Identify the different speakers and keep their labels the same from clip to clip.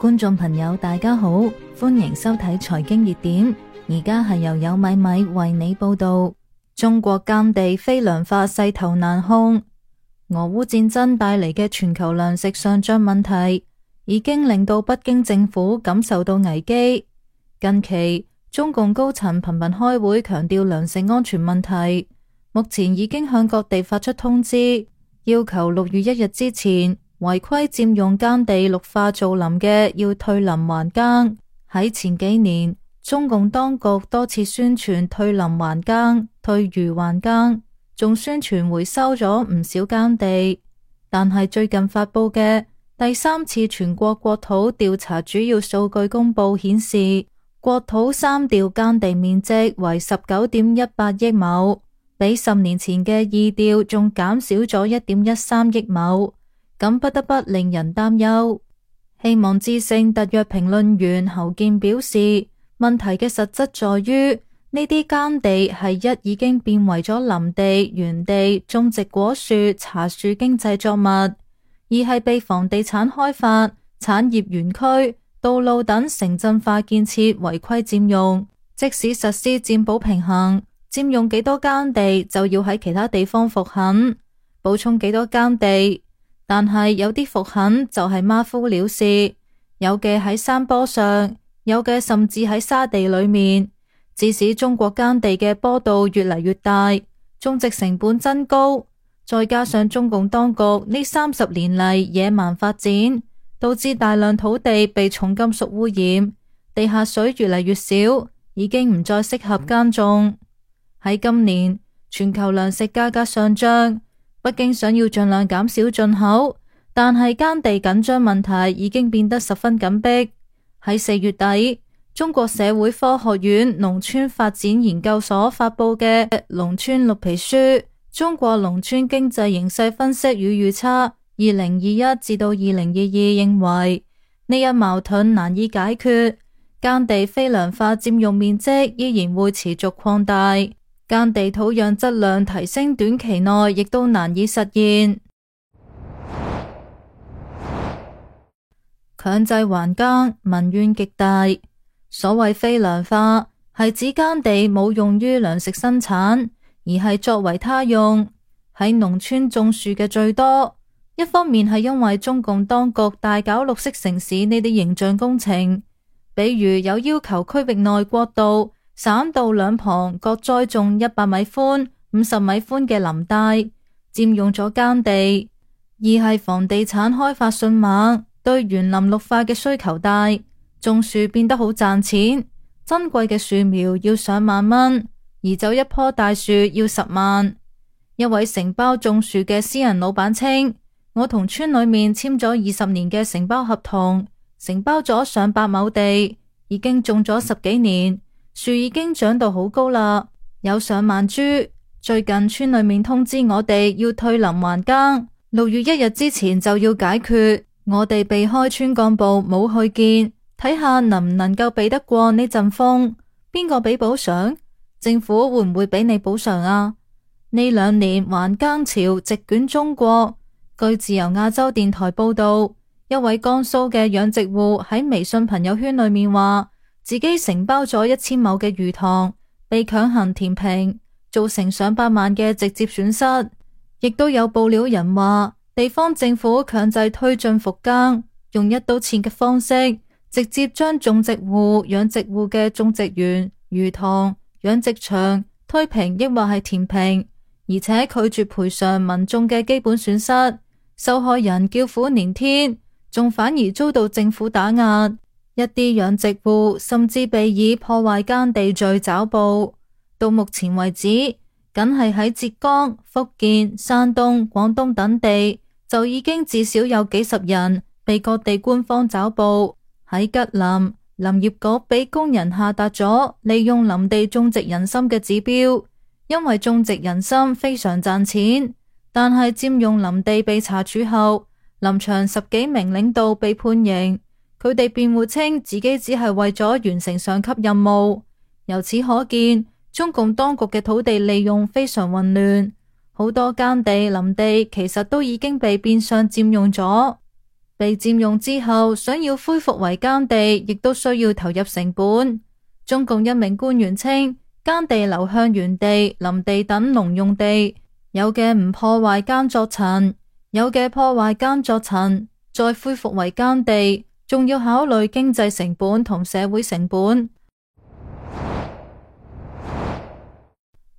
Speaker 1: 觀眾朋友大家好，歡迎收睇財經熱點。而家係由有米米為你報道。中國耕地非糧化勢頭難控，俄烏戰爭帶嚟嘅全球糧食上漲問題已經令到北京政府感受到危機。近期中共高層頻頻開會強調糧食安全問題，目前已經向各地發出通知，要求6月1日之前違規佔用耕地綠化造林嘅要退林還耕。喺前幾年，中共當局多次宣傳退林還耕、退漁還耕，仲宣傳回收咗唔少耕地。但係最近發佈嘅第3次全國國土調查主要數據公佈顯示，國土3調耕地面積為19.18億畝，比10年前嘅2調仲減少咗1.13億畝。咁不得不令人擔憂。希望之聲特約評論員侯健表示，問題嘅實質在於呢啲耕地係已經變為咗林地、園地、種植果樹、茶樹經濟作物，而係被房地產開發、產業園區、道路等城鎮化建設違規佔用。即使實施佔補平衡，佔用幾多耕地就要喺其他地方復墾，補充幾多耕地。但係有啲復墾就係馬虎了事，有嘅喺山坡上，有嘅甚至喺沙地裏面，致使中國耕地嘅坡度越嚟越大，種植成本增高。再加上中共當局呢30年嚟野蠻發展，導致大量土地被重金屬污染，地下水越嚟越少，已經唔再適合耕種。喺今年全球糧食價格上漲，北京想要盡量減少進口，但係耕地緊張問題已經變得十分緊迫。喺4月底，中國社會科學院農村發展研究所發佈嘅《農村綠皮書》《中國農村經濟形勢分析與預測2021至到2022》認為，呢一矛盾難以解決，耕地非糧化佔用面積依然會持續擴大。耕地土壤質量提升短期內亦都難以實現。強制還耕，民怨極大。所謂非糧化係指耕地冇用於糧食生產，而係作為他用。喺農村種樹嘅最多，一方面係因為中共當局大搞綠色城市呢啲形象工程，比如有要求區域內國道、省道兩旁各栽種100米寬、50米寬嘅林帶，佔用咗耕地；二係房地產開發迅猛，對園林綠化嘅需求大，種樹變得好賺錢。珍貴嘅樹苗要上萬蚊，移走一棵大樹要10萬。一位承包種樹嘅私人老闆稱，我同村裏面簽咗20年嘅承包合同，承包咗上百畝地，已經種咗10幾年。樹已經長到好高啦，有上萬株。最近村裏面通知我哋要退林還耕，6月1日之前就要解決。我哋避開村幹部冇去見，睇下能唔能夠避得過呢陣風。邊個俾補償？政府會唔會俾你補償啊？呢2年還耕潮席捲中國。據自由亞洲電台報道，一位江蘇嘅養殖戶喺微信朋友圈裏面話，自己承包咗1000畝嘅魚塘，被強行填平，造成上百萬嘅直接損失。亦都有報料人話，地方政府強制推進復耕，用一刀切嘅方式，直接將種植戶、養殖戶嘅種植園、魚塘、養殖場推平，抑或係填平，而且拒絕賠償民眾嘅基本損失。受害人叫苦連天，仲反而遭到政府打壓。一啲養殖戶甚至被以破壞耕地罪抓捕。到目前為止，僅係喺浙江、福建、山東、廣東等地，就已經至少有幾十人被各地官方抓捕。喺吉林，林業局俾工人下達咗利用林地種植人參嘅指標，因為種植人參非常賺錢。但係佔用林地被查處後，林場10幾名領導被判刑。佢哋辯護稱自己只係為咗完成上級任務。由此可見，中共當局嘅土地利用非常混亂，好多耕地林地其實都已經被變相佔用咗。被佔用之後，想要恢復為耕地，亦都需要投入成本。中共一名官員稱，耕地流向原地、林地等農用地，有嘅唔破壞耕作層，有嘅破壞耕作層，再恢復為耕地，仲要考慮經濟成本同社會成本。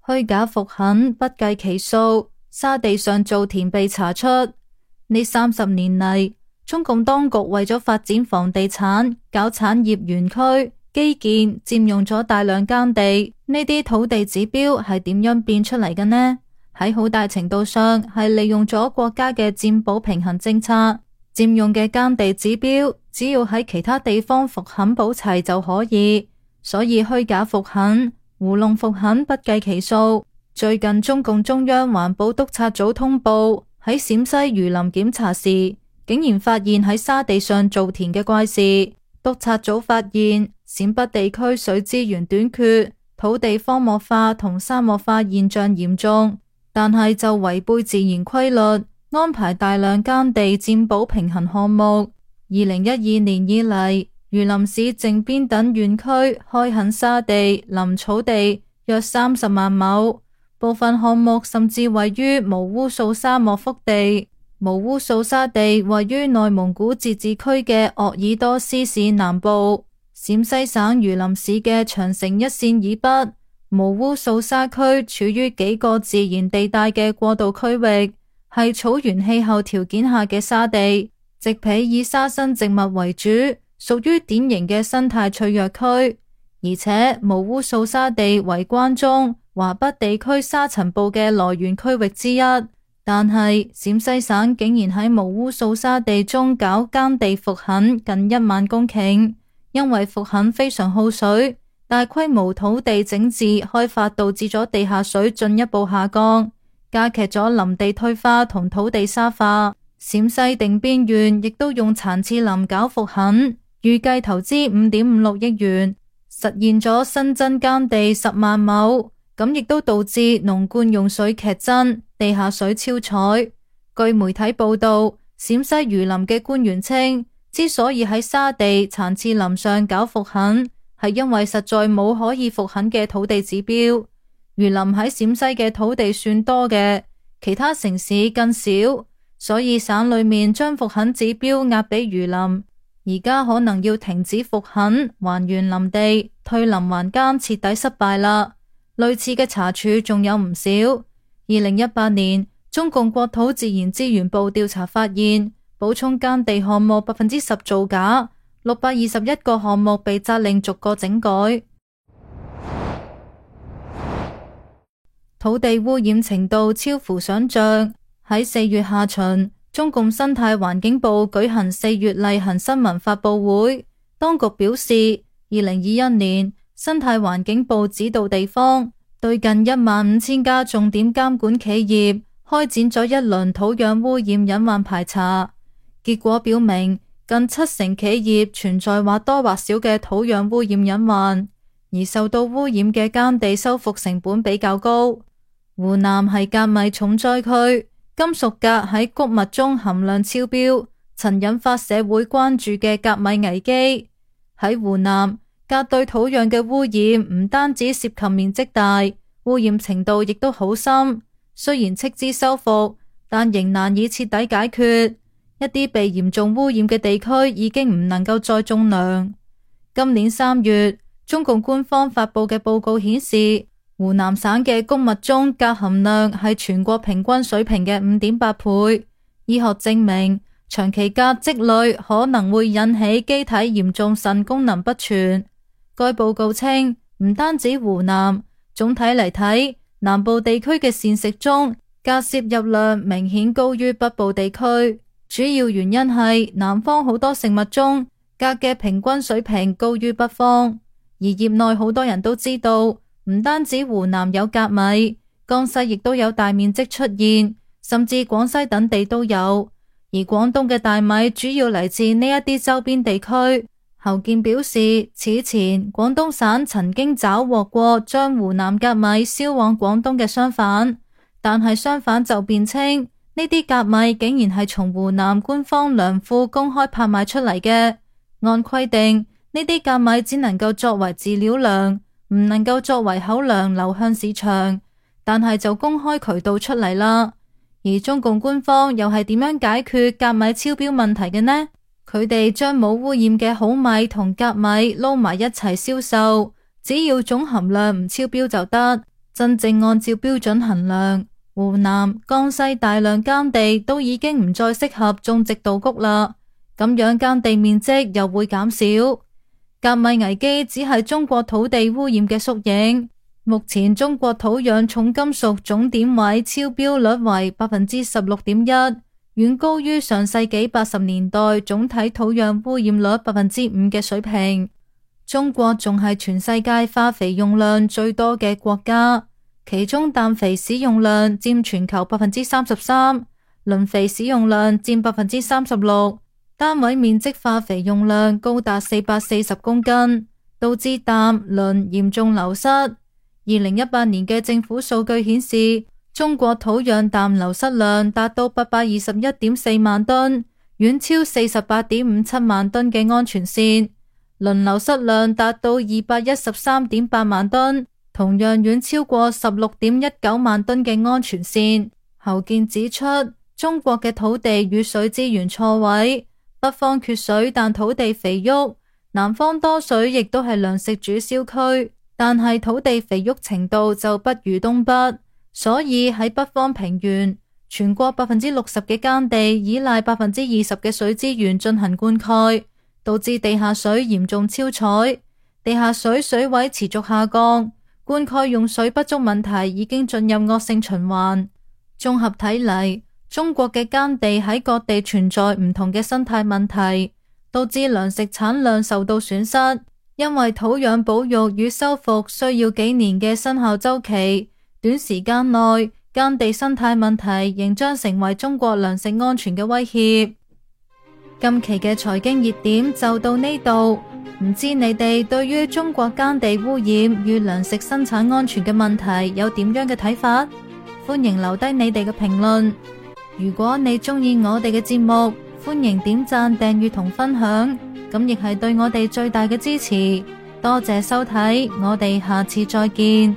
Speaker 1: 虛假復墾不計其數，沙地上造田被查出。呢30年嚟，中共當局為咗發展房地產、搞產業園區、基建，佔用咗大量耕地。呢啲土地指標係點樣變出嚟嘅呢？喺好大程度上係利用咗國家嘅佔補平衡政策。佔用嘅耕地指標，只要喺其他地方復墾補齊就可以，所以虛假復墾、糊弄復墾不計其數。最近中共中央環保督察組通報，喺陝西榆林檢查時，竟然發現喺沙地上造田嘅怪事。督察組發現，陝北地區水資源短缺，土地荒漠化同沙漠化現象嚴重，但係就違背自然規律，安排大量耕地佔補平衡項目。2012年以嚟，榆林市靖邊等縣區開墾沙地、林草地約30萬畝，部分項目甚至位於無污素沙漠腹地。無污素沙地位於內蒙古自治區嘅鄂爾多斯市南部，陝西省榆林市嘅長城一線以北。無污素沙區處於幾個自然地帶嘅過渡區域，係草原氣候條件下嘅沙地，植被以沙生植物為主，屬於典型嘅生態脆弱區。而且無污素沙地為關中、華北地區沙塵暴嘅來源區域之一。但係陝西省竟然喺無污素沙地中搞耕地復墾近1萬公頃，因為復墾非常耗水，大規模土地整治開發導致咗地下水進一步下降，加劇咗林地退化同土地沙化。陝西定邊縣亦都用殘次林搞復墾，預計投資5.56億元，實現咗新增耕地10萬畝，咁亦都導致農灌用水劇增，地下水超採。據媒體報道，陝西榆林嘅官員稱，之所以喺沙地殘次林上搞復墾，係因為實在冇可以復墾嘅土地指標。榆林喺陝西嘅土地算多嘅，其他城市更少，所以省裏面將復墾指標壓俾榆林，而家可能要停止復墾，還原林地，退林還耕徹底失敗啦。類似嘅查處仲有唔少。2018年，中共國土自然資源部調查發現，補充耕地項目10%造假，621個項目被責令逐個整改。土地污染程度超乎想象。喺4月下旬，中共生態環境部舉行4月例行新聞發佈會，當局表示，2021年生態環境部指導地方對近15000家重點監管企業開展咗一輪土壤污染隱患排查，結果表明近70%企業存在或多或少嘅土壤污染隱患，而受到污染嘅耕地修復成本比較高。湖南係鎘米重災區，金屬鎘喺穀物中含量超標，曾引發社會關注嘅鎘米危機。喺湖南，鎘對土壤嘅污染唔單止涉及面積大，污染程度亦都好深。雖然斥資修復，但仍難以徹底解決。一啲被嚴重污染嘅地區已經唔能夠再種糧。今年3月，中共官方發佈嘅報告顯示，湖南省嘅穀物中鎘含量係全國平均水平嘅5.8倍。醫學證明，長期鎘積累可能會引起機體嚴重腎功能不全。該報告稱，唔單止湖南，總體嚟睇，南部地區嘅膳食中鎘攝入量明顯高於北部地區，主要原因係南方好多食物中鎘嘅平均水平高於北方。而業內好多人都知道，唔單止湖南有鎘米，江西亦都有大面積出現，甚至廣西等地都有。而廣東嘅大米主要嚟自呢一啲周邊地區。侯健表示，此前廣東省曾經抓獲過將湖南鎘米銷往廣東嘅商販，但係商販就辯稱呢啲甲米竟然係從湖南官方糧庫公開拍賣出嚟嘅。按規定，呢啲甲米只能夠作為飼料糧，唔能夠作為口糧流向市場，但係就公開渠道出嚟啦。而中共官方又係點樣解決甲米超標問題嘅呢？佢哋將冇污染嘅好米同甲米撈埋一齊銷售，只要總含量唔超標就得。真正按照標準衡量，湖南、江西大量耕地都已經唔再適合種植稻穀啦，咁樣耕地面積又會減少。甲米危機只係中國土地污染嘅縮影。目前中國土壤重金屬總點位超標率為 16.1%， 遠高於上世紀80年代總體土壤污染率 5% 嘅水平。中國仲係全世界化肥用量最多嘅國家，其中氮肥使用量佔全球 33%， 磷肥使用量佔 36%， 單位面積化肥用量高達440公斤，導致氮、磷嚴重流失。2018年嘅政府數據顯示，中國土壤氮流失量達到 821.4 萬噸，遠超 48.57 萬噸嘅安全線；磷流失量達到 213.8 萬噸，同樣遠超過 16.19 萬噸嘅安全線。侯健指出，中國嘅土地與水資源錯位，北方缺水但土地肥沃，南方多水亦都係糧食主銷區，但係土地肥沃程度就不如東北，所以喺北方平原，全國 60% 嘅耕地依賴 20% 嘅水資源進行灌溉，導致地下水嚴重超採，地下水水位持續下降，灌溉用水不足問題已經進入惡性循環。綜合睇嚟，中國嘅耕地喺各地存在唔同嘅生態問題，導致糧食產量受到損失。因為土壤保育與修復需要幾年嘅生效週期，短時間內耕地生態問題仍將成為中國糧食安全嘅威脅。今期嘅財經熱點就到呢度，唔知你哋對於中國耕地污染與糧食生產安全嘅問題有點樣嘅睇法？歡迎留低你哋嘅評論。如果你鍾意我哋嘅節目，歡迎點讚、訂閱同分享，咁亦係對我哋最大嘅支持。多謝收睇，我哋下次再見。